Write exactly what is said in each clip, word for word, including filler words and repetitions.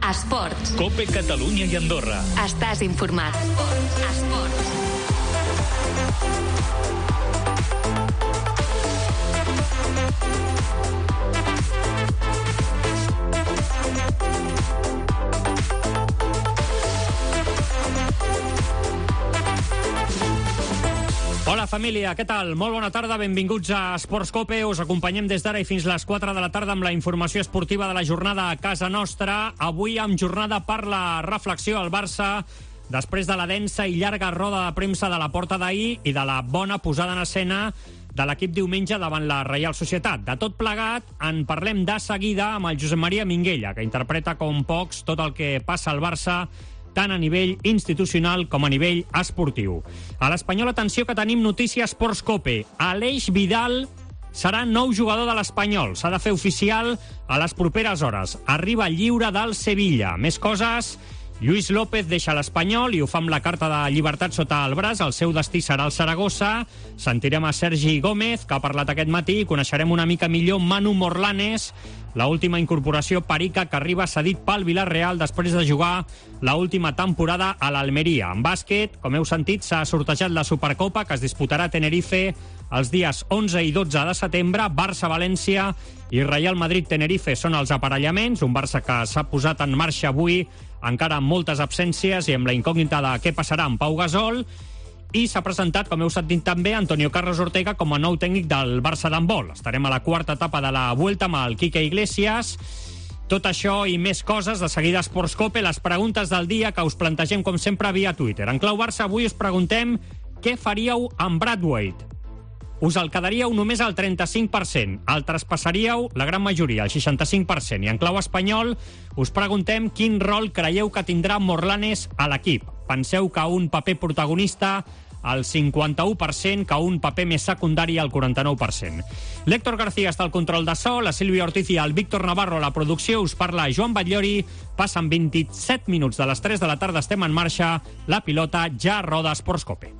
Esports. COPE Catalunya i Andorra. Estàs informat. Esports. Esports. Hola família, què tal? Molt bona tarda, benvinguts a Esports COPE. Us acompanyem des d'ara i fins les quatre de la tarda amb la informació esportiva de la jornada a casa nostra. Avui amb jornada per la reflexió al Barça, després de la densa i llarga roda de premsa de la porta d'ahir i de la bona posada en escena de l'equip diumenge davant la Reial Societat. De tot plegat, en parlem de seguida amb el Josep Maria Minguella, que interpreta com pocs tot el que passa al Barça, tant a nivell institucional com a nivell esportiu. A l'Espanyol, atenció que tenim notícia Esports COPE. Aleix Vidal serà nou jugador de l'Espanyol. S'ha de fer oficial a les properes hores. Arriba lliure del Sevilla. Més coses. Lluís López deixa l'Espanyol i ho fa amb la carta de llibertat sota el braç. El seu destí serà el Saragossa. Sentirem a Sergi Gómez, que ha parlat aquest matí. Coneixerem una mica millor Manu Morlanes, l'última incorporació perica que arriba cedit pel Villarreal després de jugar l'última temporada a l'Almeria. En bàsquet, com heu sentit, s'ha sortejat la Supercopa que es disputarà a Tenerife els dies onze i dotze de setembre. Barça-València i Real Madrid-Tenerife són els aparellaments. Un Barça que s'ha posat en marxa avui, encara amb moltes absències i amb la incògnita de què passarà amb Pau Gasol. I s'ha presentat, com heu sentit també, Antonio Carlos Ortega com a nou tècnic del Barça d'handbol. Estarem a la quarta etapa de la Vuelta amb el Quique Iglesias. Tot això i més coses, de seguida Esports COPE, les preguntes del dia que us plantegem com sempre via Twitter. En clau Barça avui us preguntem què faríeu amb Brad Wade. Us el quedaríeu només al trenta-cinc per cent, el traspassaríeu la gran majoria, el seixanta-cinc per cent. I en clau espanyol us preguntem quin rol creieu que tindrà Morlanes a l'equip. Penseu que un paper protagonista al cinquanta-u per cent, que un paper més secundari al quaranta-nou per cent. L'Héctor García està al control de so, la Sílvia Ortiz i el Víctor Navarro a la producció. Us parla Joan Batllori. Passen vint-i-set minuts de les tres de la tarda, estem en marxa. La pilota ja roda Esports COPE.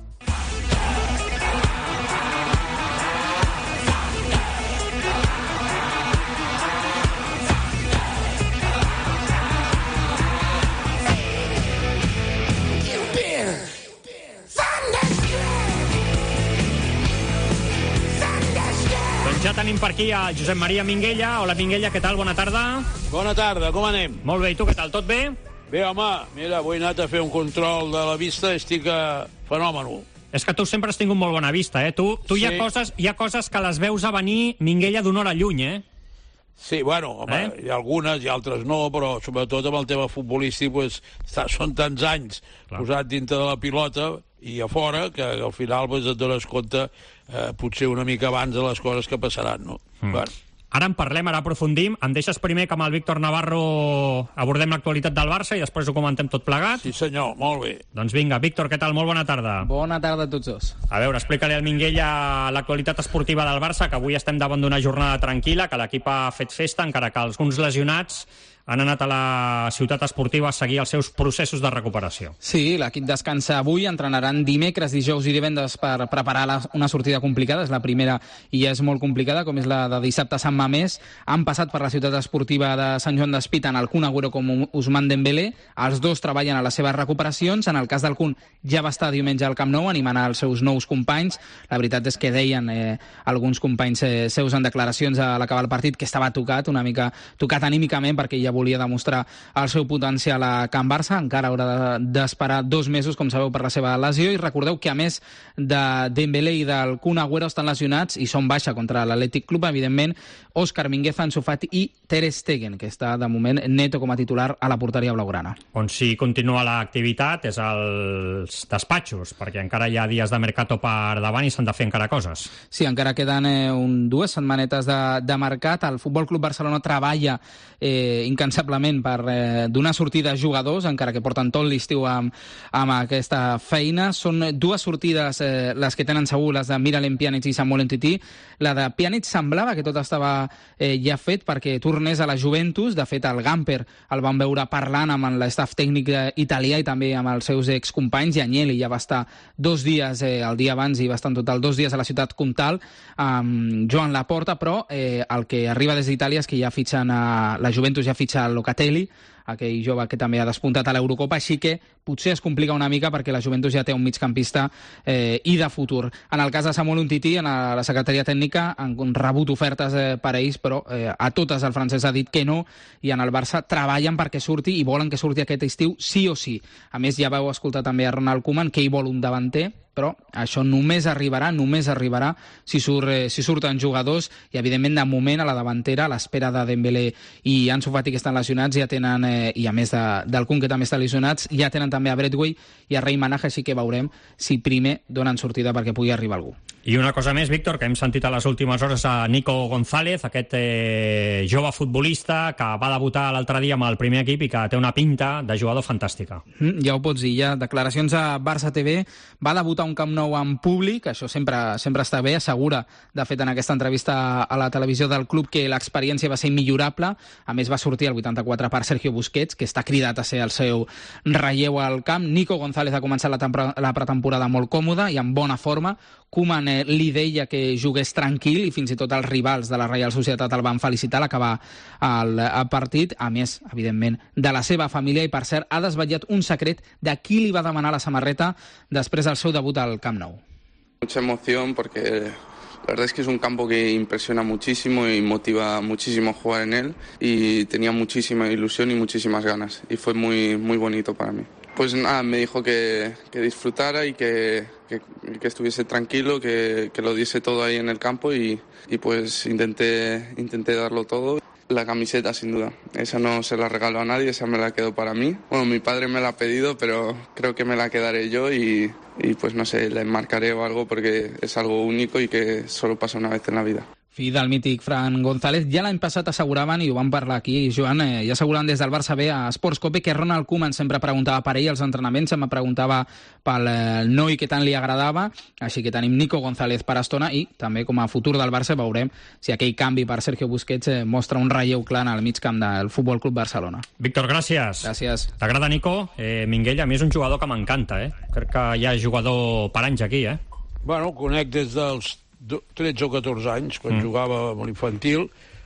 Ja tenim per aquí a Josep Maria Minguella. Hola, Minguella, què tal? Bona tarda. Bona tarda, com anem? Molt bé, i tu què tal? Tot bé? Bé, home, mira, avui he anat a fer un control de la vista i estic a fenòmeno. És que tu sempre has tingut molt bona vista, eh? Tu, tu sí. hi, ha coses, hi ha coses que les veus a venir, Minguella, d'una hora lluny, eh? Sí, bueno, home, eh? hi ha algunes i altres no, però sobretot amb el tema futbolístic pues, són tants anys Clar. posat dintre de la pilota i a fora que al final pues, et dones compte eh, potser una mica abans de les coses que passaran, no? Mm. Bueno. Ara en parlem, ara aprofundim. Em deixes primer que amb el Víctor Navarro abordem l'actualitat del Barça i després ho comentem tot plegat? Sí senyor, molt bé. Doncs vinga, Víctor, què tal? Molt bona tarda. Bona tarda a tots dos. A veure, explica-li al Minguella l'actualitat esportiva del Barça, que avui estem davant d'una jornada tranquil·la, que l'equip ha fet festa, encara que alguns lesionats han anat a la ciutat esportiva a seguir els seus processos de recuperació. Sí, l'equip descansa avui, entrenaran dimecres, dijous i divendres per preparar la, una sortida complicada. És la primera i ja és molt complicada, com és la de dissabte a Sant Mamés. Han passat per la ciutat esportiva de Sant Joan d'Espí tant el Kun Agüero com Ousmane Dembélé. Els dos treballen a les seves recuperacions. En el cas del Kun ja va estar diumenge al Camp Nou animant els seus nous companys. La veritat és que deien eh, alguns companys eh, seus en declaracions a l'acabar el partit que estava tocat, una mica tocat anímicament, perquè ja volia demostrar el seu potencial a Can Barça. Encara haurà d'esperar dos mesos, com sabeu, per la seva lesió. I recordeu que a més de Dembélé i del Kun Agüero estan lesionats i són baixa contra l'Atlètic Club, evidentment, Òscar Mingueza, Ansu Fati i Ter Stegen, que està de moment neto com a titular a la porteria blaugrana. On sí continua l'activitat és als despatxos, perquè encara hi ha dies de mercato per davant i s'han de fer encara coses. Sí, encara queden eh, un, dues setmanetes de, de mercat. El Futbol Club Barcelona treballa eh, incansablement per eh, donar sortida a jugadors, encara que porten tot l'estiu amb, amb aquesta feina. Són dues sortides eh, les que tenen segur, les de Miralem Pjanic i Samuel Umtiti. La de Pjanic semblava que tot estava eh, ja fet perquè tornés a la Juventus. De fet, el Gamper el van veure parlant amb l'estaf tècnic italià i també amb els seus excompanys, i Agnelli ja va estar dos dies, eh, el dia abans, i va estar en total dos dies a la ciutat comtal amb Joan Laporta, però eh, el que arriba des d'Itàlia és que ja fitxen a la Juventus, ja fitxa a Locatelli, aquell jove que també ha despuntat a l'Eurocopa, així que potser es complica una mica perquè la Juventus ja té un migcampista eh, i de futur. En el cas de Samuel Umtiti, en la secretaria tècnica han rebut ofertes eh, per a ells, però eh, a totes el francès ha dit que no, i en el Barça treballen perquè surti i volen que surti aquest estiu sí o sí. A més, ja vau escoltar també a Ronald Koeman que ell vol un davanter, però això només arribarà, només arribarà si, surt, eh, si surten jugadors, i evidentment de moment a la davantera, a l'espera de Dembélé i Ansu Fati que estan lesionats, ja tenen, eh, i a més de, del Kun que també està lesionats, ja tenen també a Bradway i a Rei Manaja, així que veurem si primer donen sortida perquè pugui arribar algú. I una cosa més, Víctor, que hem sentit a les últimes hores a Nico González, aquest eh, jove futbolista que va debutar l'altre dia amb el primer equip i que té una pinta de jugador fantàstica. Mm, ja ho pots dir, ja. Declaracions a Barça T V. Va debutar un Camp Nou en públic, això sempre, sempre està bé, assegura, de fet, en aquesta entrevista a la televisió del club, que l'experiència va ser immillorable. A més, va sortir el vuitanta-quatre per Sergio Busquets, que està cridat a ser el seu relleu al camp. Nico González ha començat la, la pretemporada molt còmoda i en bona forma. Koeman eh, li deia que jugués tranquil i fins i tot els rivals de la Reial Societat el van felicitar a l'acabar el, el partit. A més, evidentment, de la seva família, i per cert, ha desvetllat un secret de qui li va demanar la samarreta després del seu debut al Camp Nou. Mucha emoción porque la verdad es que es un campo que impresiona muchísimo y motiva muchísimo jugar en él, y tenía muchísima ilusión y muchísimas ganas, y fue muy, muy bonito para mí. Pues nada, me dijo que, que disfrutara y que, que, que estuviese tranquilo, que, que lo diese todo ahí en el campo, y, y pues intenté, intenté darlo todo. La camiseta, sin duda. Esa no se la regalo a nadie, esa me la quedo para mí. Bueno, mi padre me la ha pedido, pero creo que me la quedaré yo y, y pues no sé, la enmarcaré o algo porque es algo único y que solo pasa una vez en la vida. Fill del mític Fran González. Ja l'any passat asseguraven, i ho vam parlar aquí, Joan, eh, ja asseguraven des del Barça B a Sports Cope que Ronald Koeman sempre preguntava per ell als entrenaments, em preguntava pel eh, noi que tant li agradava, així que tenim Nico González per estona, i també com a futur del Barça veurem si aquell canvi per Sergio Busquets eh, mostra un relleu clar al mig camp del Futbol Club Barcelona. Víctor, gràcies. Gràcies. T'agrada, Nico? Eh, Minguell, a mi és un jugador que m'encanta, eh? Crec que hi ha jugador per anys aquí, eh? Bueno, conec des dels tretze o catorze anys, quan mm. jugava amb l'infantil.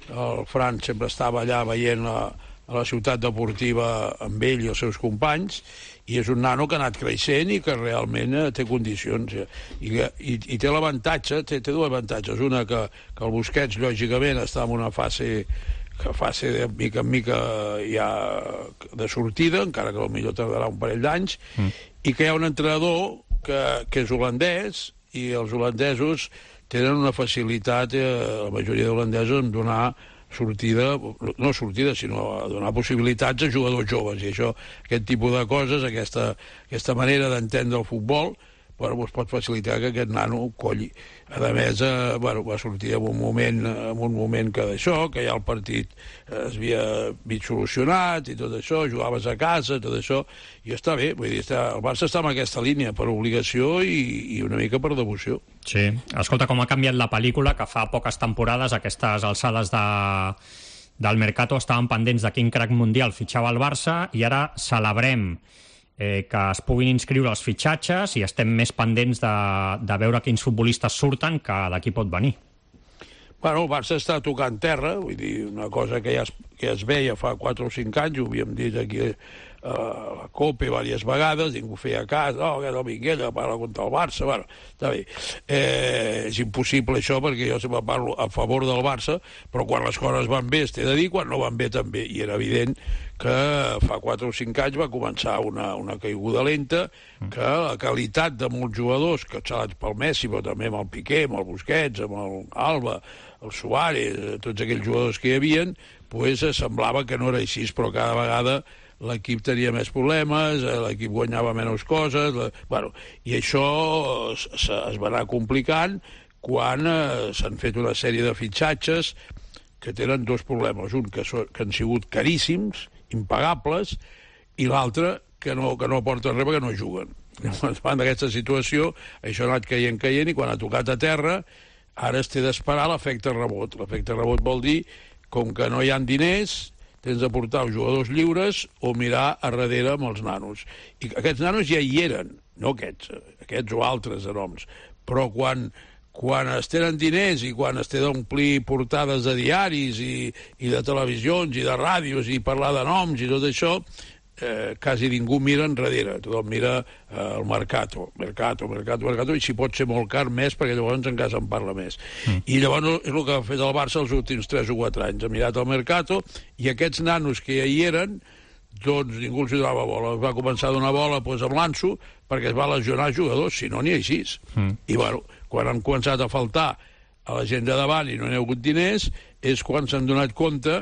El Fran sempre estava allà veient la, a la ciutat deportiva amb ell i els seus companys, i és un nano que ha anat creixent i que realment eh, té condicions. I, i, i té l'avantatge, té, té dos avantatges. Una, que, que el Busquets, lògicament, està en una fase que fase de mica en mica ja de sortida, encara que potser tardarà un parell d'anys, mm. i que hi ha un entrenador que, que és holandès, i els holandesos tenen una facilitat, eh, la majoria d'holandesos, en donar sortida, no sortida, sinó a donar possibilitats a jugadors joves. I això, aquest tipus de coses, aquesta, aquesta manera d'entendre el futbol, bueno, doncs pot facilitar que aquest nano colli. A més, eh, bueno, va sortir en un moment, en un moment que d'això, que ja el partit es havia vist solucionat i tot això, jugaves a casa, tot això, i està bé. Vull dir, està, el Barça està en aquesta línia per obligació i, i una mica per devoció. Sí. Escolta, com ha canviat la pel·lícula, que fa poques temporades, aquestes alçades de, del Mercato, estaven pendents de quin crack mundial fitxava el Barça, i ara celebrem Eh, que es puguin inscriure els fitxatges i estem més pendents de, de veure quins futbolistes surten que d'aquí pot venir. Bueno, el Barça està tocant terra, vull dir, una cosa que ja es, que es veia fa quatre o cinc anys, ho havíem dit aquí a la Copa diverses vegades, ningú feia cas, oh, aquest el Minguella parla contra el Barça, bueno, està bé. Eh, és impossible això, perquè jo sempre parlo a favor del Barça, però quan les coses van bé es té de dir, quan no van bé també, i era evident que fa quatre o cinc anys va començar una, una caiguda lenta, que la qualitat de molts jugadors, que xalats pel Messi, però també amb el Piqué, amb el Busquets, amb el Alba, el Suárez, tots aquells jugadors que hi havia, pues, semblava que no era així, però cada vegada l'equip tenia més problemes, l'equip guanyava menys coses, la... bueno, i això es, es va anar complicant quan eh, s'han fet una sèrie de fitxatges que tenen dos problemes, un que, so, que han sigut caríssims, impagables, i l'altre que no, que no aporten res perquè no juguen. Davant d'aquesta situació, això ha anat caient, caient, i quan ha tocat a terra, ara es té d'esperar l'efecte rebot. L'efecte rebot vol dir, com que no hi ha diners, tens de portar els jugadors lliures o mirar a darrere amb els nanos. I aquests nanos ja hi eren, no aquests, aquests o altres de noms, però quan, quan es tenen diners i quan es té d'omplir portades de diaris i, i de televisions i de ràdios i parlar de noms i tot això, eh, quasi ningú mira enrere. Tothom mira eh, el Mercato, Mercato, Mercato, Mercato, i si pot ser molt car més, perquè llavors en casa en parla més. Mm. I llavors és el que ha fet el Barça els últims tres o quatre anys. Ha mirat el Mercato i aquests nanos que ja hi eren, doncs ningú els donava bola. Va començar a donar bola doncs, amb l'Anso, perquè es va lesionar jugadors, si no n'hi ha així. Mm. I bueno, quan han començat a faltar a la gent de davant i no n'hi ha hagut diners, és quan s'han donat compte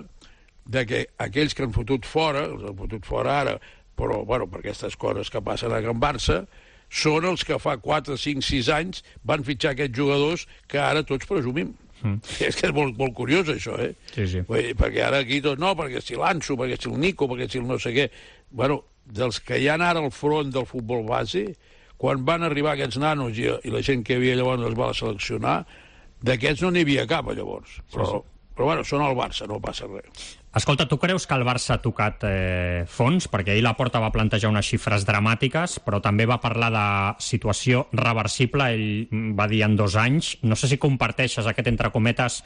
de que aquells que han fotut fora, els han fotut fora ara, però bueno, per aquestes coses que passen a Can Barça, són els que fa quatre, cinc, sis anys van fitxar aquests jugadors que ara tots presumim. Mm. És que és molt, molt curiós, això, eh? Sí, sí. Dir, perquè ara aquí tot, no, perquè si l'Anso, perquè si el Nico, perquè si el no sé què... Bueno, dels que hi ha ara al front del futbol base, quan van arribar aquests nanos i, i la gent que hi havia llavors els va seleccionar, d'aquests no n'hi havia cap, llavors. Però, sí, sí. però bueno, són al Barça, no passa res. Escolta, tu creus que el Barça ha tocat eh, fons? Perquè ahir Laporta va plantejar unes xifres dramàtiques, però també va parlar de situació reversible, ell va dir en dos anys. No sé si comparteixes aquest, entre cometes,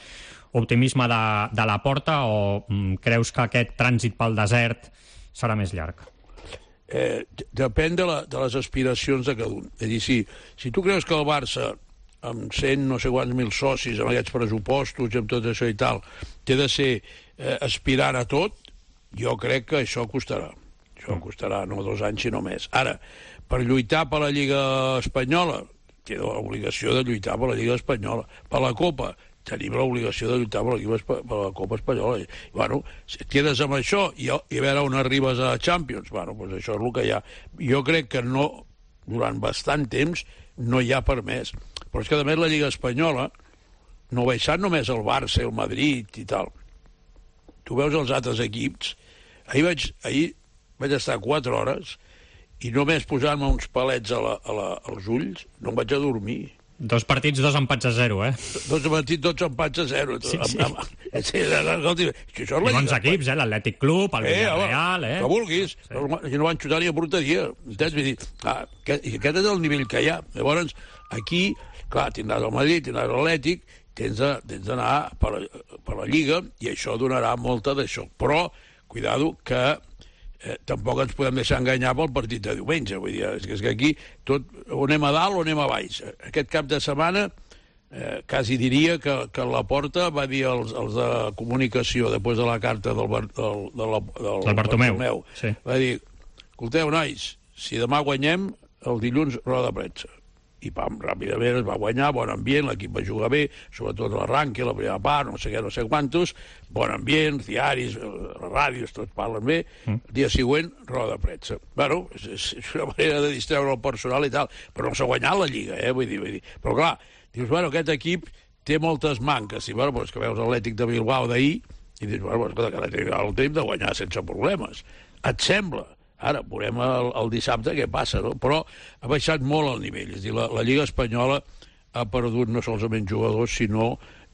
optimisme de, de Laporta o mm, creus que aquest trànsit pel desert serà més llarg? Eh, depèn de, la, de les aspiracions de cada un. És a dir, si, si tu creus que el Barça, amb cent no sé quants mil socis, amb aquests pressupostos i amb tot això i tal, té de ser eh, aspirant a tot, jo crec que això costarà. Això costarà no dos anys, sinó més. Ara, per lluitar per la Lliga Espanyola, té l'obligació de lluitar per la Lliga Espanyola. Per la Copa, tenim l'obligació de lluitar per la, per la Copa Espanyola. I, bueno, si et quedes amb això i, i a veure on arribes a Champions, bueno, doncs això és el que hi ha. Jo crec que no, durant bastant temps, no hi ha per més. Però és que, a més, la Lliga Espanyola no baixant només el Barça, el Madrid i tal. Tu veus els altres equips. Ahir vaig, ahir vaig estar quatre hores i només posant-me uns palets a la, a la, als ulls no em vaig a dormir. Dos partits, dos empats a zero, eh? Dos partits, dos empats a zero. Sí, sí. Amb, amb, sí, escolti, això és la bons equips, eh? L'Atlètic Club, el Villarreal, eh? Que vulguis. Sí. I no van xutar ni a porteria. Entens? Vull dir, ah, que, aquest és el nivell que hi ha. Llavors, aquí, clar, tindràs el Madrid, tindràs l'Atlètic, tens d'anar per, per la Lliga i això donarà molta d'això. Però, cuidado, que eh, tampoc ens podem deixar enganyar pel partit de diumenge. Vull dir, és que, és que aquí tot, o anem a dalt o anem a baix. Aquest cap de setmana eh, quasi diria que, que Laporta va dir als, als de comunicació després de la carta del, del, del, del, del Bartomeu, Bartomeu sí. Va dir, escolteu, nois, si demà guanyem, el dilluns roda de premsa. I pam, ràpidament es va guanyar, bon ambient, l'equip va jugar bé, sobretot l'arranque, la primera part, no sé què, no sé quantos, bon ambient, diaris, ràdios, tots parlen bé, mm. el dia següent, roda de premsa. Bueno, és, és una manera de distreure el personal i tal, però no s'ha guanyat la Lliga, eh, vull dir, vull dir. Però clar, dius, bueno, aquest equip té moltes manques, i bueno, doncs que veus l'Atlètic de Bilbao d'ahir, i dius, bueno, doncs, que l'Atlètic el tenim de guanyar sense problemes. Et sembla? Ara, veurem el, el dissabte què passa, no? Però ha baixat molt el nivell. És a dir, la, la Lliga Espanyola ha perdut no solament jugadors, sinó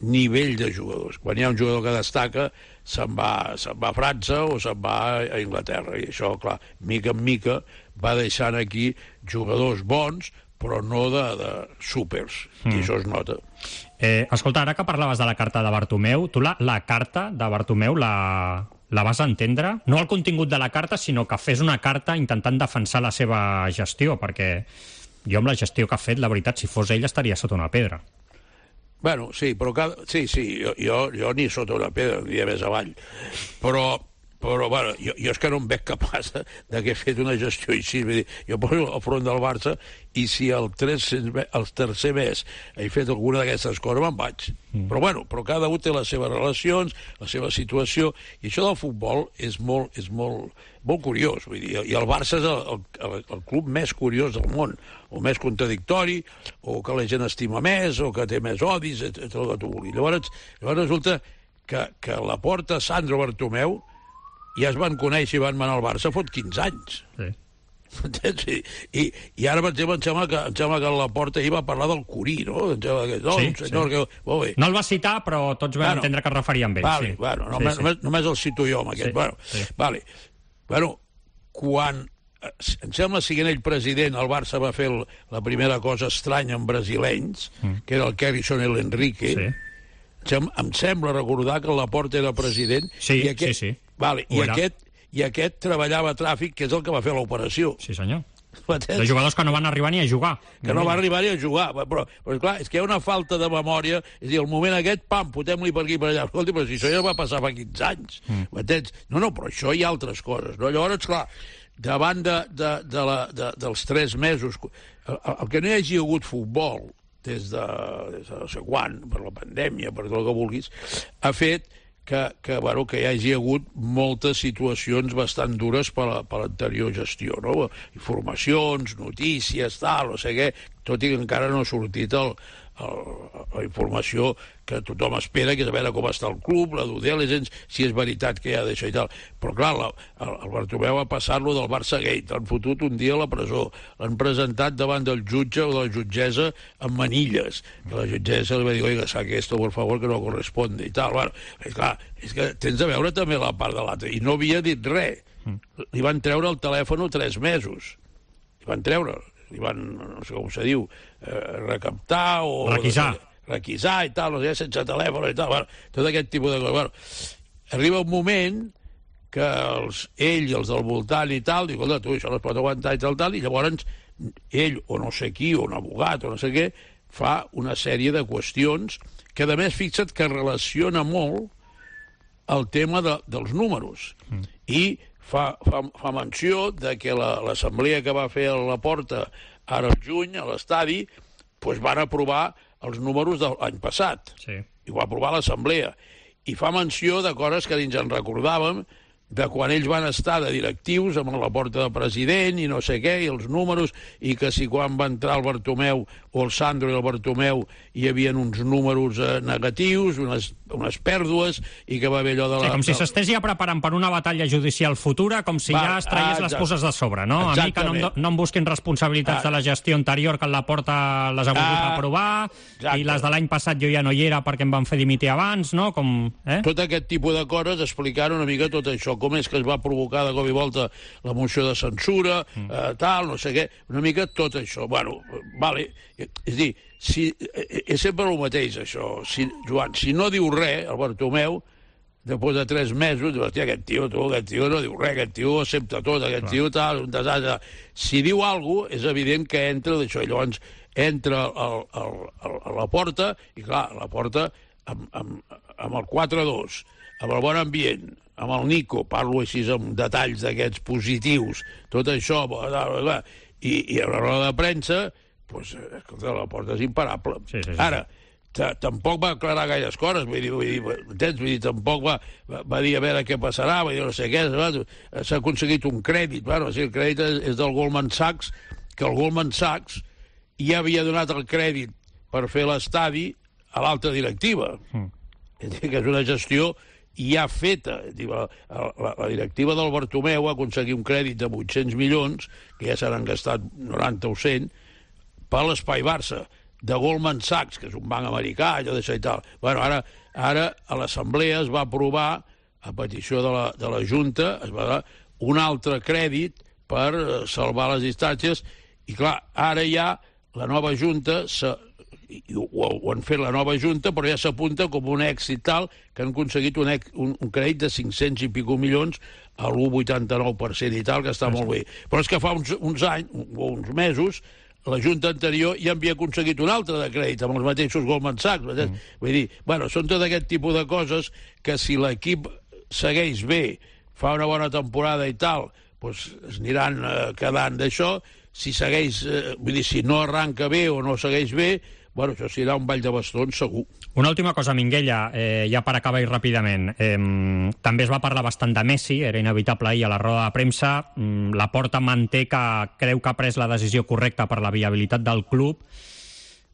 nivell de jugadors. Quan hi ha un jugador que destaca, se'n va, se'n va a França o se'n va a Anglaterra. I això, clar, mica en mica va deixant aquí jugadors bons, però no de, de súpers. Mm. I això es nota. Eh, escolta, ara que parlaves de la carta de Bartomeu, tu la, la carta de Bartomeu la... la vas entendre? No el contingut de la carta, sinó que fes una carta intentant defensar la seva gestió, perquè jo amb la gestió que ha fet, la veritat, si fos ell estaria sota una pedra. Bueno, sí, però cada... sí, sí, jo, jo, jo ni sota una pedra, diria més avall. Però, però bueno, jo, jo és que no em veig capaç de, de que he fet una gestió així. Vull dir, jo poso al front del Barça i si el, tres, el tercer mes he fet alguna d'aquestes coses me'n vaig. Mm. Però bueno, però cada un té les seves relacions, la seva situació, i això del futbol és molt, és molt, molt curiós. Vull dir, i el Barça és el, el, el club més curiós del món, o més contradictori, o que la gent estima més, o que té més odis, tot el que tu vulguis. Llavors, llavors resulta que, que Laporta, Sandro, Bartomeu ja es van conèixer i van manar al Barça fot quinze anys. Sí. I, i, i ara, per exemple, em sembla que, em sembla que Laporta ahir va parlar del Curí, no? Em sembla que, no, sí, senyor, sí. Que, molt bé. No el va citar, però tots vam bueno, entendre que es referia amb ell. Vale, sí. bueno, sí, només, sí. Només, només el cito jo, amb aquest. Sí, bueno, sí. Vale. Bueno, quan em sembla, siguent ell president, el Barça va fer el, la primera cosa estranya amb brasilenys, mm. que era el Kerrison i l'Enrique. Sí. Em, em sembla recordar que el Laporta era president. Sí, i aquest, sí, sí. Vale, i, aquest, I aquest treballava a tràfic, que és el que va fer l'operació. Sí, senyor. De jugadors que no van arribar ni a jugar. Que no van arribar ni a jugar. Però, però clar, és que hi ha una falta de memòria. És a dir, el moment aquest, pam, fotem-li per aquí per allà. Escolta, però si això ja va passar fa quinze anys. Mm. No, no, però això hi ha altres coses. No? Llavors, clar, davant de, de, de la, de, dels tres mesos, el, el que no hi hagi hagut futbol des de, des de no sé quan, per la pandèmia, per tot el que vulguis, ha fet que, que, bueno, que hi hagi hagut moltes situacions bastant dures per l'anterior gestió, no? Informacions, notícies, tal, no sé què, tot i que encara no ha sortit el, el, la informació que tothom espera, que és a veure com està el club, la due diligence, si és veritat que hi ha d'això i tal. Però clar, la, el, el Bartomeu ha passat-lo del Barça Gate, l'han fotut un dia a la presó, l'han presentat davant del jutge o de la jutgessa amb manilles, que la jutgessa li va dir, oiga, saque esto, por favor, que no corresponde, i tal. Bueno, és clar, és que tens de veure també la part de l'altre, i no havia dit res. Li van treure el telèfon tres mesos. Li van treure, li van, no sé com se diu, eh, recaptar o... Requisar. requisar i tal, no sé, sense telèfon i tal, bueno, tot aquest tipus de coses. Bueno, arriba un moment que els, ell i els del voltant i tal, diu, escolta, tu, això no es pot aguantar i tal, tal, i llavors ell, o no sé qui, o un abogat, o no sé què, fa una sèrie de qüestions que, a més, fixa't que relaciona molt el tema de, dels números. Mm. I fa, fa, fa menció de que l'assemblea la, que va fer a la Porta ara al juny, a l'estadi, doncs van aprovar els números de l'any passat. Sí. I ho va aprovar l'assemblea. I fa menció de coses que dins en recordàvem, de quan ells van estar de directius amb la Porta de president i no sé què, i els números, i que si quan va entrar el Bartomeu o el Sandro i el Bartomeu hi havia uns números eh, negatius, unes, unes pèrdues, i que va haver allò de la... Sí, com si s'estés ja preparant per una batalla judicial futura, com si va, ja es traiés ah, les coses de sobre, no? Exactament. A mi que no, em, no em busquin responsabilitats ah. de la gestió anterior, que la Porta les ha volgut ah. aprovar, exacte. I les de l'any passat jo ja no hi era perquè em van fer dimitir abans, no? Com, eh? Tot aquest tipus de coses explicant una mica tot això, com és que es va provocar de cop i volta la moció de censura, mm. eh, tal, no sé què, una mica tot això. Bueno, vale, és dir, si, és sempre el mateix, això. Si, Joan, si no diu res, el Bartomeu, després de tres mesos, diu, hòstia, aquest tio, tu, aquest tio no diu res, aquest tio accepta tot, aquest Clar. tio tal, un desastre. Si diu alguna cosa, és evident que entra d'això, i llavors entra el, el, el, a la Porta, i clar, a la Porta, amb, amb, amb el quatre dos, amb el bon ambient, amb el Nico, parlo així amb detalls d'aquests positius, tot això, i, i a la roda de premsa, doncs, escolta, la Porta és imparable. Sí, sí, sí. Ara, tampoc va aclarar gaires coses, vull dir, vull dir, entens? Vull dir, tampoc va, va, va dir a veure què passarà, va dir no sé què, s'ha aconseguit un crèdit, bueno, sí, el crèdit és, és del Goldman Sachs, que el Goldman Sachs ja havia donat el crèdit per fer l'estadi a l'alta directiva. Mm. És dir, que és una gestió ja feta. La, la, la directiva del Bartomeu ha aconseguit un crèdit de vuit-cents milions, que ja s'han gastat noranta o cent, per l'Espai Barça, de Goldman Sachs, que és un banc americà, allò d'això i tal. Bueno, ara, ara a l'Assemblea es va aprovar, a petició de la, de la Junta, es va dar un altre crèdit per salvar les distàncies, i clar, ara ja la nova Junta se, ho, ho han fet la nova Junta, però ja s'apunta com un èxit tal que han aconseguit un, un, un crèdit de cinc-cents i pico milions a l'u coma vuitanta-nou per cent i tal, que està molt bé. Però és que fa uns, uns anys, o uns mesos, la Junta anterior ja havia aconseguit un altre de crèdit amb els mateixos Goldman Sachs. Mm. Vull dir, bueno, són tot aquest tipus de coses que si l'equip segueix bé, fa una bona temporada i tal, doncs es aniran eh, quedant d'això. Si segueix, eh, vull dir, si no arranca bé o no segueix bé, bueno, això serà un ball de bastons, segur. Una última cosa, Minguella, eh, ja per acabar-hi ràpidament. Eh, també es va parlar bastant de Messi, era inevitable ahir a la roda de premsa. Mm, la Porta manté que creu que ha pres la decisió correcta per la viabilitat del club.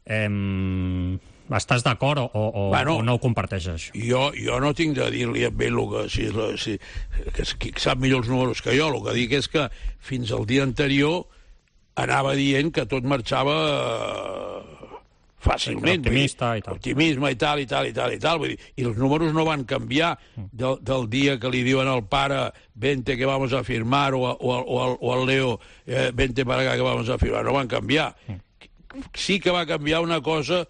Eh, estàs d'acord o, o, bueno, o no ho comparteixes? Jo, jo no tinc de dir-li a ell que, si, si, que, que sap millor els números que jo. El que dic és que fins al dia anterior anava dient que tot marxava... fàcilment. Optimista i tal. Optimisme i tal, i tal, i tal, i tal. Vull dir, i els números no van canviar del, del dia que li diuen al pare vente que vamos a firmar o, o, o, o al Leo eh, vente para acá que vamos a firmar. No van canviar. Sí que va canviar una cosa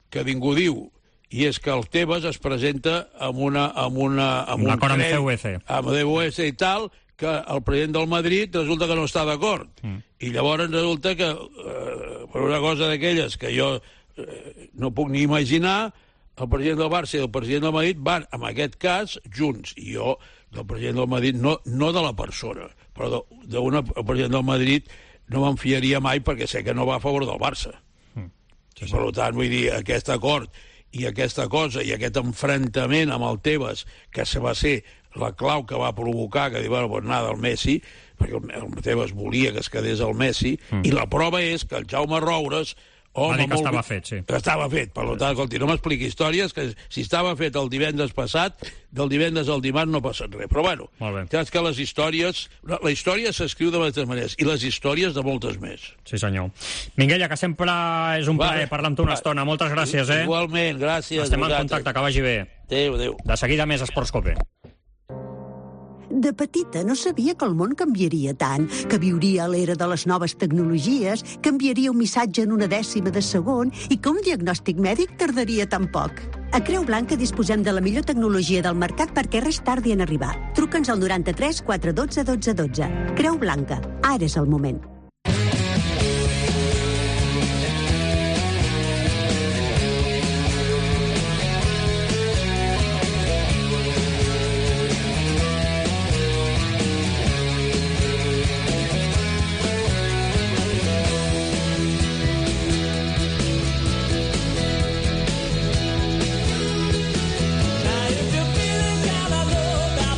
que ningú diu, i és que el Tebas es presenta amb una... amb una amb un un acord amb crèdit, C U E C. amb C U E C i tal, que el president del Madrid resulta que no està d'acord. Mm. I llavors resulta que, eh, per una cosa d'aquelles que jo eh, no puc ni imaginar, el president del Barça i el president del Madrid van, en aquest cas, junts. I jo, del president del Madrid, no, no de la persona, però d'un president del Madrid no me'n fiaria mai perquè sé que no va a favor del Barça. Mm. Sí, sí. Per tant, vull dir, aquest acord i aquesta cosa, i aquest enfrontament amb el Tebas, que se va ser la clau que va provocar que diu, bueno, pues nada, el Messi, perquè el, el Tebas volia que es quedés el Messi, mm. i la prova és que el Jaume Roures... Va dir que estava fet, sí. Que estava fet, per tant, escolti, no m'expliqui històries, que si estava fet el divendres passat, del divendres al dimarts no passa res. Però bueno, saps que les històries... La història s'escriu de moltes maneres, i les històries de moltes més. Sí, senyor. Minguella, que sempre és un plaer parlar amb tu una estona. Moltes gràcies, eh? Igualment, gràcies. Estem en contacte, que vagi bé. Adéu, adéu. De seguida més Esports Cope. De petita no sabia que el món canviaria tant, que viuria a l'era de les noves tecnologies, que enviaria un missatge en una dècima de segon i que un diagnòstic mèdic tardaria tan poc. A Creu Blanca disposem de la millor tecnologia del mercat perquè res tardi en arribar. Truca'ns al noranta-tres quatre dotze dotze dotze. Creu Blanca, ara és el moment.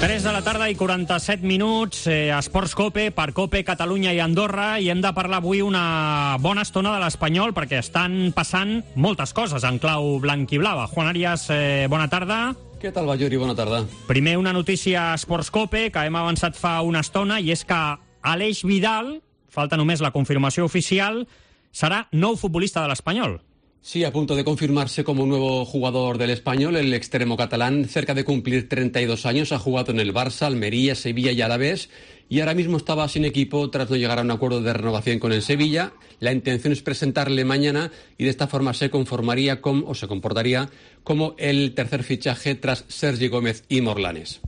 tres de la tarda i quaranta-set minuts, eh, Esports Cope, per Cope, Catalunya i Andorra, i hem de parlar avui una bona estona de l'Espanyol, perquè estan passant moltes coses en clau blanc i blava. Juan Arias, eh, bona tarda. Què tal, Ballori? Bona tarda. Primer, una notícia a Esports Cope, que hem avançat fa una estona, i és que Aleix Vidal, falta només la confirmació oficial, serà nou futbolista de l'Espanyol. Sí, a punto de confirmarse como nuevo jugador del Español, el extremo catalán, cerca de cumplir treinta y dos años, ha jugado en el Barça, Almería, Sevilla y Alavés, y ahora mismo estaba sin equipo tras no llegar a un acuerdo de renovación con el Sevilla. La intención es presentarle mañana y de esta forma se conformaría con, o se comportaría como el tercer fichaje tras Sergi Gómez i Morlanes.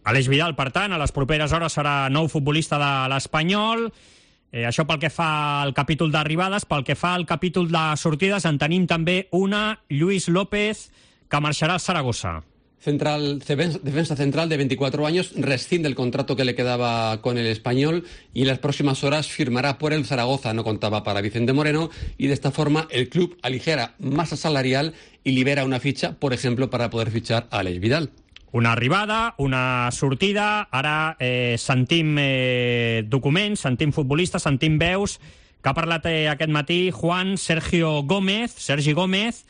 Aleix Vidal, per tant, a les properes hores serà nou futbolista de l'Espanyol. Eh, això pel que fa al capítol d'arribades. Pel que fa al capítol de sortides, en tenim també una, Lluís López, que marxarà al Zaragoza. Central, defensa central de veinticuatro años, rescinde el contrato que le quedaba con el Español y en las próximas horas firmará por el Zaragoza. No contaba para Vicente Moreno y de esta forma el club aligera masa salarial y libera una ficha, por ejemplo, para poder fichar a Aleix Vidal. Una arribada, una sortida, ara eh, sentim eh, documents, sentim futbolistes, sentim veus, que ha parlat eh, aquest matí Juan Sergio Gómez, Sergi Gómez,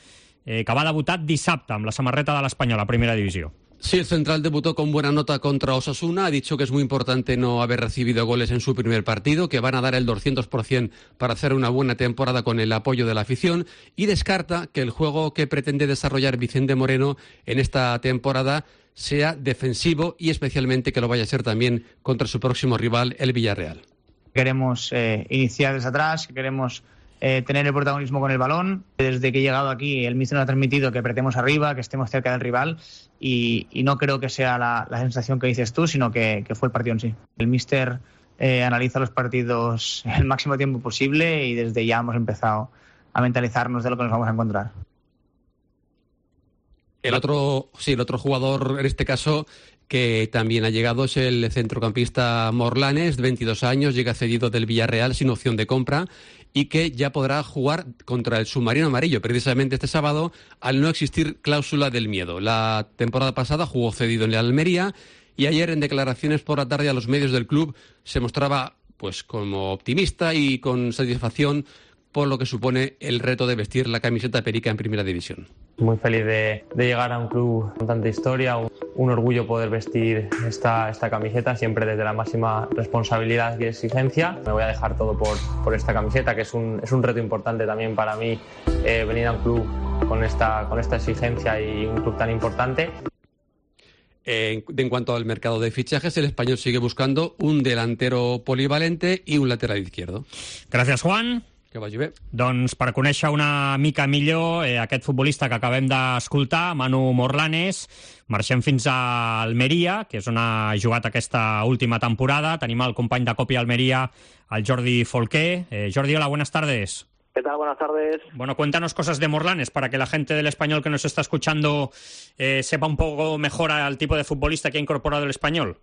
eh, que va debutar dissabte amb la samarreta de l'Espanyol a primera divisió. Sí, el central debutó con buena nota contra Osasuna, ha dicho que es muy importante no haber recibido goles en su primer partido, que van a dar el doscientos por ciento para hacer una buena temporada con el apoyo de la afición, y descarta que el juego que pretende desarrollar Vicente Moreno en esta temporada sea defensivo y especialmente que lo vaya a ser también contra su próximo rival, el Villarreal. Queremos eh, iniciar desde atrás, queremos eh, tener el protagonismo con el balón. Desde que he llegado aquí, el míster nos ha transmitido que apretemos arriba, que estemos cerca del rival y, y no creo que sea la, la sensación que dices tú, sino que, que fue el partido en sí. El míster eh, analiza los partidos el máximo tiempo posible y desde ya hemos empezado a mentalizarnos de lo que nos vamos a encontrar. El otro, sí, el otro jugador en este caso que también ha llegado es el centrocampista Morlanes, de veintidós años, llega cedido del Villarreal sin opción de compra y que ya podrá jugar contra el submarino amarillo precisamente este sábado al no existir cláusula del miedo. La temporada pasada jugó cedido en la Almería y ayer en declaraciones por la tarde a los medios del club se mostraba pues como optimista y con satisfacción por lo que supone el reto de vestir la camiseta perica en Primera División. Muy feliz de, de llegar a un club con tanta historia, un, un orgullo poder vestir esta, esta camiseta, siempre desde la máxima responsabilidad y exigencia. Me voy a dejar todo por, por esta camiseta, que es un, es un reto importante también para mí, eh, venir a un club con esta, con esta exigencia y un club tan importante. En, en cuanto al mercado de fichajes, el Español sigue buscando un delantero polivalente y un lateral izquierdo. Gràcies, Juan. Que vagi bé. Doncs per conèixer una mica millor eh, aquest futbolista que acabem d'escoltar, Manu Morlanes, marxem fins a Almeria, que és on ha jugat aquesta última temporada. Tenim el company de Copi Almeria, el Jordi Folqué. Eh, Jordi, hola, buenas tardes. ¿Qué tal? Buenas tardes. Bueno, cuéntanos cosas de Morlanes para que la gente del Español que nos está escuchando eh, sepa un poco mejor al tipo de futbolista que ha incorporado el Español.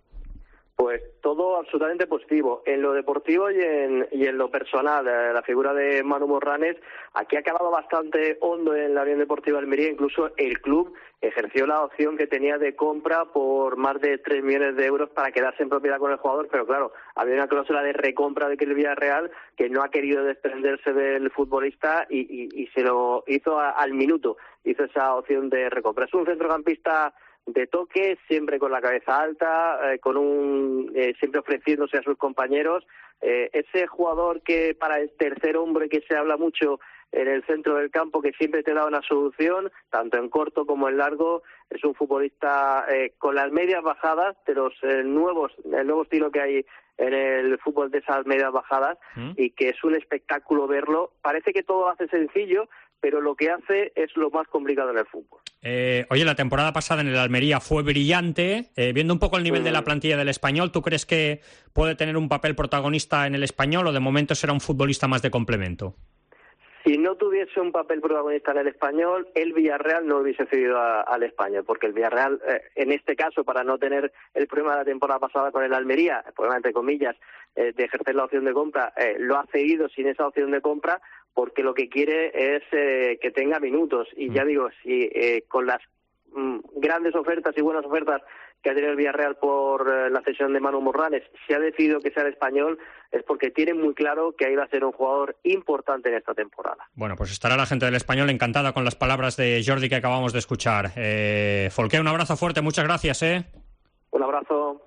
Pues todo absolutamente positivo. En lo deportivo y en, y en lo personal, eh, la figura de Manu Morlanes, aquí ha quedado bastante hondo en la Unión Deportiva Almería. Incluso el club ejerció la opción que tenía de compra por más de tres millones de euros para quedarse en propiedad con el jugador, pero claro, había una cláusula de recompra de que el Villarreal que no ha querido desprenderse del futbolista y, y, y se lo hizo a, al minuto, hizo esa opción de recompra. Es un centrocampista de toque, siempre con la cabeza alta, eh, con un eh, siempre ofreciéndose a sus compañeros. Eh, ese jugador que para el tercer hombre que se habla mucho en el centro del campo, que siempre te da una solución, tanto en corto como en largo, es un futbolista eh, con las medias bajadas, de los eh, nuevos, el nuevo estilo que hay en el fútbol de esas medias bajadas, ¿Mm? Y que es un espectáculo verlo. Parece que todo lo hace sencillo, pero lo que hace es lo más complicado en el fútbol. Eh, oye, la temporada pasada en el Almería fue brillante. Eh, viendo un poco el nivel mm. de la plantilla del Español, ¿tú crees que puede tener un papel protagonista en el Español o de momento será un futbolista más de complemento? Si no tuviese un papel protagonista en el Español, el Villarreal no hubiese cedido a, al Español, porque el Villarreal, eh, en este caso, para no tener el problema de la temporada pasada con el Almería, el problema entre comillas, eh, de ejercer la opción de compra, eh, lo ha cedido sin esa opción de compra, porque lo que quiere es eh, que tenga minutos. Y ya digo, si eh, con las mm, grandes ofertas y buenas ofertas que ha tenido el Villarreal por eh, la cesión de Manu Morlanes, si ha decidido que sea el Español, es porque tiene muy claro que ahí va a ser un jugador importante en esta temporada. Bueno, pues estará la gente del Español encantada con las palabras de Jordi que acabamos de escuchar. Eh, Folqué, un abrazo fuerte, muchas gracias. ¿eh? Un abrazo.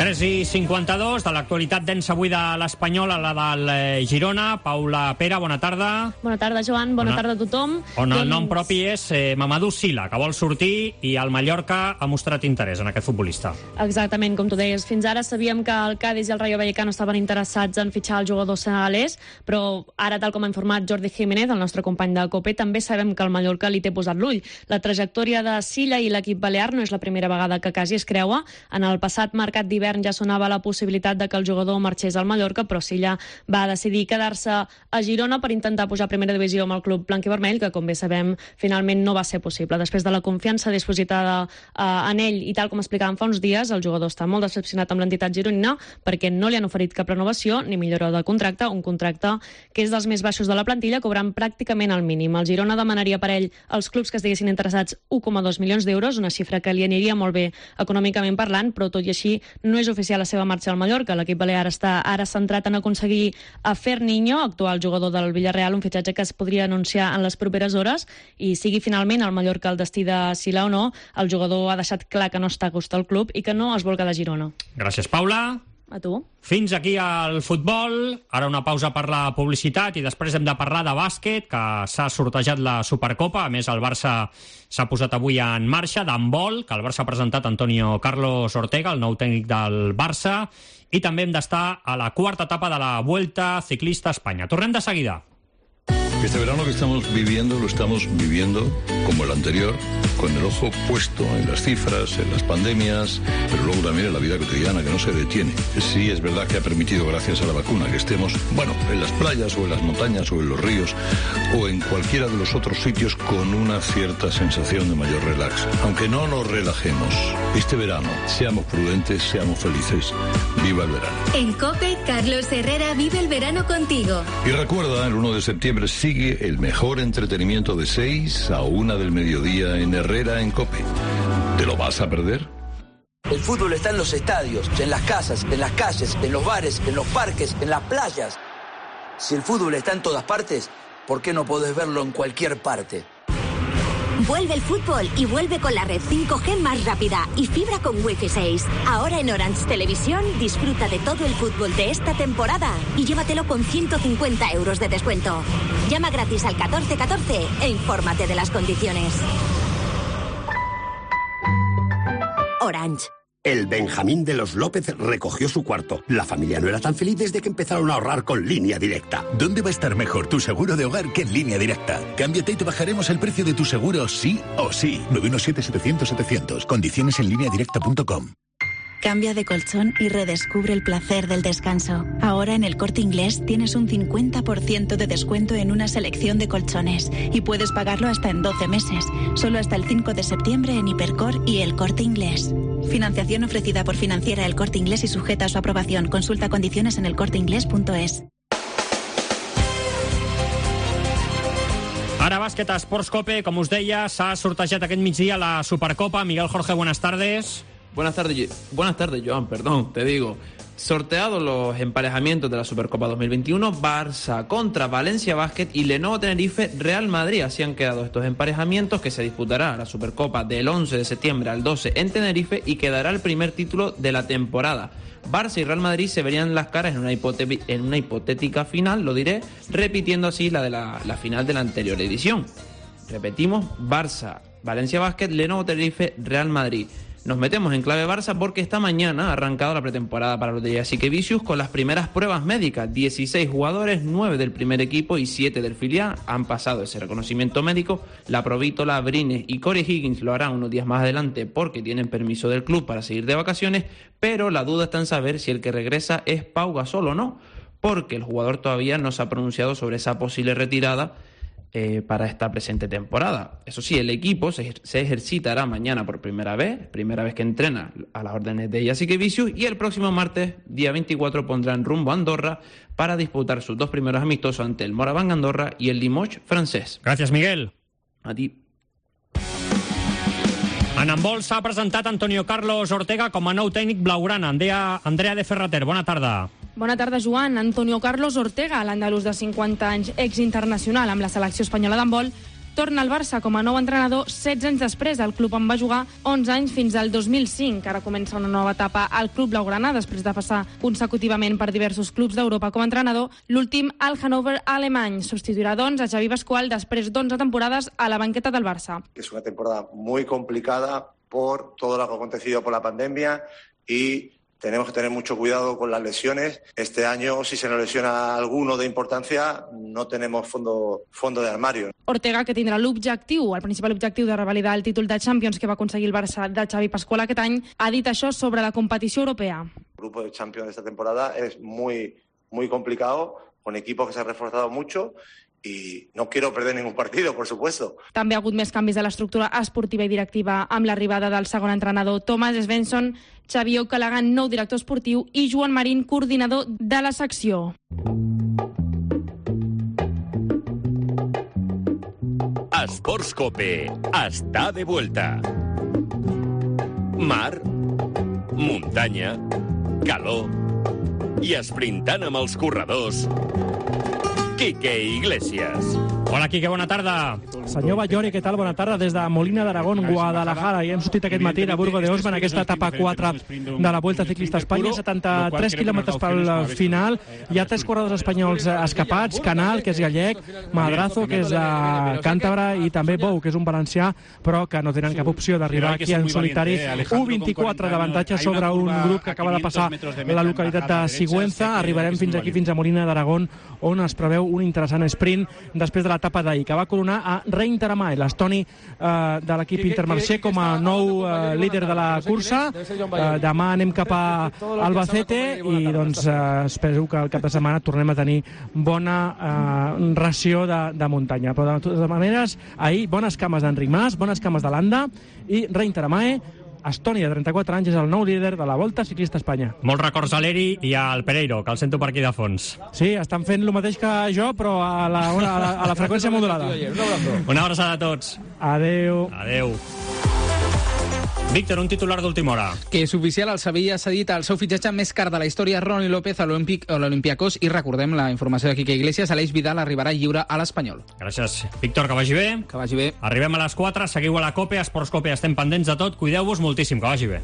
tres i cinquanta-dos, de l'actualitat densa avui de l'Espanyol a la del eh, Girona. Paula Pera, bona tarda. Bona tarda, Joan, bona, bona tarda a tothom. On el nom propi és eh, Mamadou Sila, que vol sortir, i el Mallorca ha mostrat interès en aquest futbolista. Exactament, com tu deies. Fins ara sabíem que el Cádiz i el Rayo Vallecano estaven interessats en fitxar el jugador senegalès, però ara, tal com ha informat Jordi Jiménez, el nostre company de COPE, també sabem que el Mallorca li té posat l'ull. La trajectòria de Sila i l'equip balear no és la primera vegada que quasi es creua. En el passat mercat d'hivern ja sonava la possibilitat de que el jugador marxés al Mallorca, però Silla va decidir quedar-se a Girona per intentar pujar a primera divisió amb el club blanc-i-vermell, que, com bé sabem, finalment no va ser possible. Després de la confiança dipositada eh, en ell, i tal com explicàvem fa uns dies, el jugador està molt decepcionat amb l'entitat gironina perquè no li han oferit cap renovació ni millora de contracte, un contracte que és dels més baixos de la plantilla, cobrant pràcticament el mínim. El Girona demanaria per ell als clubs que estiguessin interessats u coma dos milions d'euros, una xifra que li aniria molt bé econòmicament parlant, però tot i així no és oficial la seva marxa al Mallorca. L'equip balear està ara centrat en aconseguir a Ferniño, actual jugador del Villarreal, un fitxatge que es podria anunciar en les properes hores, i sigui finalment el Mallorca el destí de Sila o no, el jugador ha deixat clar que no està a gust al club i que no es vol quedar a Girona. Gràcies, Paula. A tu. Fins aquí al futbol. Ara una pausa per la publicitat i després hem de parlar de bàsquet, que s'ha sortejat la Supercopa. A més, el Barça s'ha posat avui en marxa, d'handbol, que el Barça ha presentat Antonio Carlos Ortega, el nou tècnic del Barça, i també hem d'estar a la quarta etapa de la Vuelta Ciclista a Espanya. Tornem de seguida. Este verano que estamos viviendo, lo estamos viviendo como el anterior, con el ojo puesto en las cifras, en las pandemias, pero luego también en la vida cotidiana, que no se detiene. Sí, es verdad que ha permitido, gracias a la vacuna, que estemos, bueno, en las playas o en las montañas o en los ríos o en cualquiera de los otros sitios con una cierta sensación de mayor relax. Aunque no nos relajemos, este verano, seamos prudentes, seamos felices. ¡Viva el verano! En COPE, Carlos Herrera vive el verano contigo. Y recuerda, el uno de septiembre sigue el mejor entretenimiento de seis a una del mediodía en Herrera en COPE. ¿Te lo vas a perder? El fútbol está en los estadios, en las casas, en las calles, en los bares, en los parques, en las playas. Si el fútbol está en todas partes, ¿por qué no podés verlo en cualquier parte? Vuelve el fútbol y vuelve con la red cinco G más rápida y fibra con Wi-Fi seis. Ahora en Orange Televisión disfruta de todo el fútbol de esta temporada y llévatelo con ciento cincuenta euros de descuento. Llama gratis al catorce catorce e infórmate de las condiciones. Orange. El Benjamín de los López recogió su cuarto. La familia no era tan feliz desde que empezaron a ahorrar con Línea Directa. ¿Dónde va a estar mejor tu seguro de hogar que en Línea Directa? Cámbiate y te bajaremos el precio de tu seguro sí o sí. nueve uno siete, setecientos, setecientos. Condiciones en línea directa punto com. Cambia de colchón y redescubre el placer del descanso. Ahora en El Corte Inglés tienes un cincuenta por ciento de descuento en una selección de colchones y puedes pagarlo hasta en doce meses, solo hasta el cinco de septiembre en Hipercor y El Corte Inglés. Financiación ofrecida por Financiera El Corte Inglés y sujeta a su aprobación. Consulta condiciones en el corte inglés punto es. Ara bàsquet a Esports Cope, com us deia, s'ha sortejat aquest migdia la Supercopa. Miguel Jorge, buenas tardes. Buenas tardes, buenas tardes, Joan, perdón, te digo. Sorteados los emparejamientos de la Supercopa dos mil veintiuno, Barça contra Valencia Basket y Lenovo Tenerife Real Madrid. Así han quedado estos emparejamientos, que se disputará la Supercopa del once de septiembre al doce en Tenerife y quedará el primer título de la temporada. Barça y Real Madrid se verían las caras en una, hipote- en una hipotética final, lo diré, repitiendo así la de la, la final de la anterior edición. Repetimos, Barça, Valencia Basket, Lenovo Tenerife Real Madrid. Nos metemos en clave Barça porque esta mañana ha arrancado la pretemporada para los de Jessica Vicius con las primeras pruebas médicas. dieciséis jugadores, nueve del primer equipo y siete del filial han pasado ese reconocimiento médico. La Provítola, Brines y Corey Higgins lo harán unos días más adelante porque tienen permiso del club para seguir de vacaciones, pero la duda está en saber si el que regresa es Pau Gasol o no, porque el jugador todavía no se ha pronunciado sobre esa posible retirada Eh, para esta presente temporada. Eso sí, el equipo se, se ejercitará mañana por primera vez, primera vez que entrena a las órdenes de Jessica Vicius, y el próximo martes, día veinticuatro, pondrán rumbo a Andorra para disputar sus dos primeros amistosos ante el Moraván Andorra y el Limoges francés. Gracias, Miguel. A ti. En handbol s'ha presentat Antonio Carlos Ortega com a nou tècnic blaugrana. Andrea, Andrea de Ferrater, bona tarda. Bona tarda, Joan. Antonio Carlos Ortega, l'andalús de cinquanta anys, ex-internacional amb la selecció espanyola d'handbol, torna al Barça com a nou entrenador setze anys després. El club en va jugar onze anys fins al dos mil cinc. Ara comença una nova etapa al club blaugrana després de passar consecutivament per diversos clubs d'Europa com a entrenador. L'últim al Hannover alemany. Substituirà, doncs, a Xavi Pascual després d'onze temporades a la banqueta del Barça. Es una temporada muy complicada por todo lo que ha acontecido por la pandemia y tenemos que tener mucho cuidado con las lesiones. Este año, si se nos lesiona alguno de importancia, no tenemos fondo, fondo de armario. Ortega, que tindrà l'objectiu, el principal objectiu de revalidar el títol de Champions que va aconseguir el Barça de Xavi Pascual aquest any, ha dit això sobre la competició europea. El grupo de Champions de esta temporada es muy, muy complicado, con equipos que se han reforzado mucho y no quiero perder ningún partido, por supuesto. També ha hagut més canvis de l'estructura esportiva i directiva amb l'arribada del segon entrenador Thomas Svensson, Xavier O'Callaghan, nou director esportiu, i Joan Marín, coordinador de la secció. Esports Cope està de vuelta. Mar, muntanya, calor i esprintant amb els corredors, Quique Iglesias. Hola, Quique, bona tarda. Senyor Ballori, què tal? Bona tarda. Des de Molina d'Aragón, Guadalajara. I hem sortit aquest matí de Burgo de Osma en aquesta etapa quatre de la Vuelta Ciclista a Espanya. setanta-tres quilòmetres pel final. Hi ha tres corredors espanyols escapats. Canal, que és gallec, Madrazo, que és uh, càntabre, i també Bou, que és un valencià, però que no tenen cap opció d'arribar aquí en solitari. u vint-i-quatre d'avantatge sobre un grup que acaba de passar la localitat de Sigüenza. Arribarem fins aquí, fins a Molina d'Aragón, on es preveu un interessant sprint després de l'etapa d'ahir, que va coronar a Rein Taramay, l'estoni eh, de l'equip Intermarché, com a nou eh, líder de la cursa. Eh, demà anem cap a Albacete i doncs eh, espero que el cap de setmana tornem a tenir bona eh, ració de, de muntanya. Però de totes maneres, ahir bones cames d'Enric Mas, bones cames de Landa, i Rein Taramay, estoni de trenta-quatre anys, és el nou líder de la Volta Ciclista a Espanya. Molts records a l'Eri i al Pereiro, que el sento per aquí de fons. Sí, estan fent el mateix que jo, però a la, a la, a la freqüència modulada. Una abraçada a tots. Adeu. Adeu. Víctor, un titular d'última hora. Que és oficial, el Sevilla ha cedit el seu fitxatge més car de la història, Roni López, a l'Olympiacos, i recordem la informació de Quique Iglesias, Aleix Vidal arribarà lliure a l'Espanyol. Gràcies, Víctor, que vagi bé. Que vagi bé. Arribem a les quatre, seguiu a la COPE, a Esports COPE, estem pendents de tot, cuideu-vos moltíssim, que vagi bé.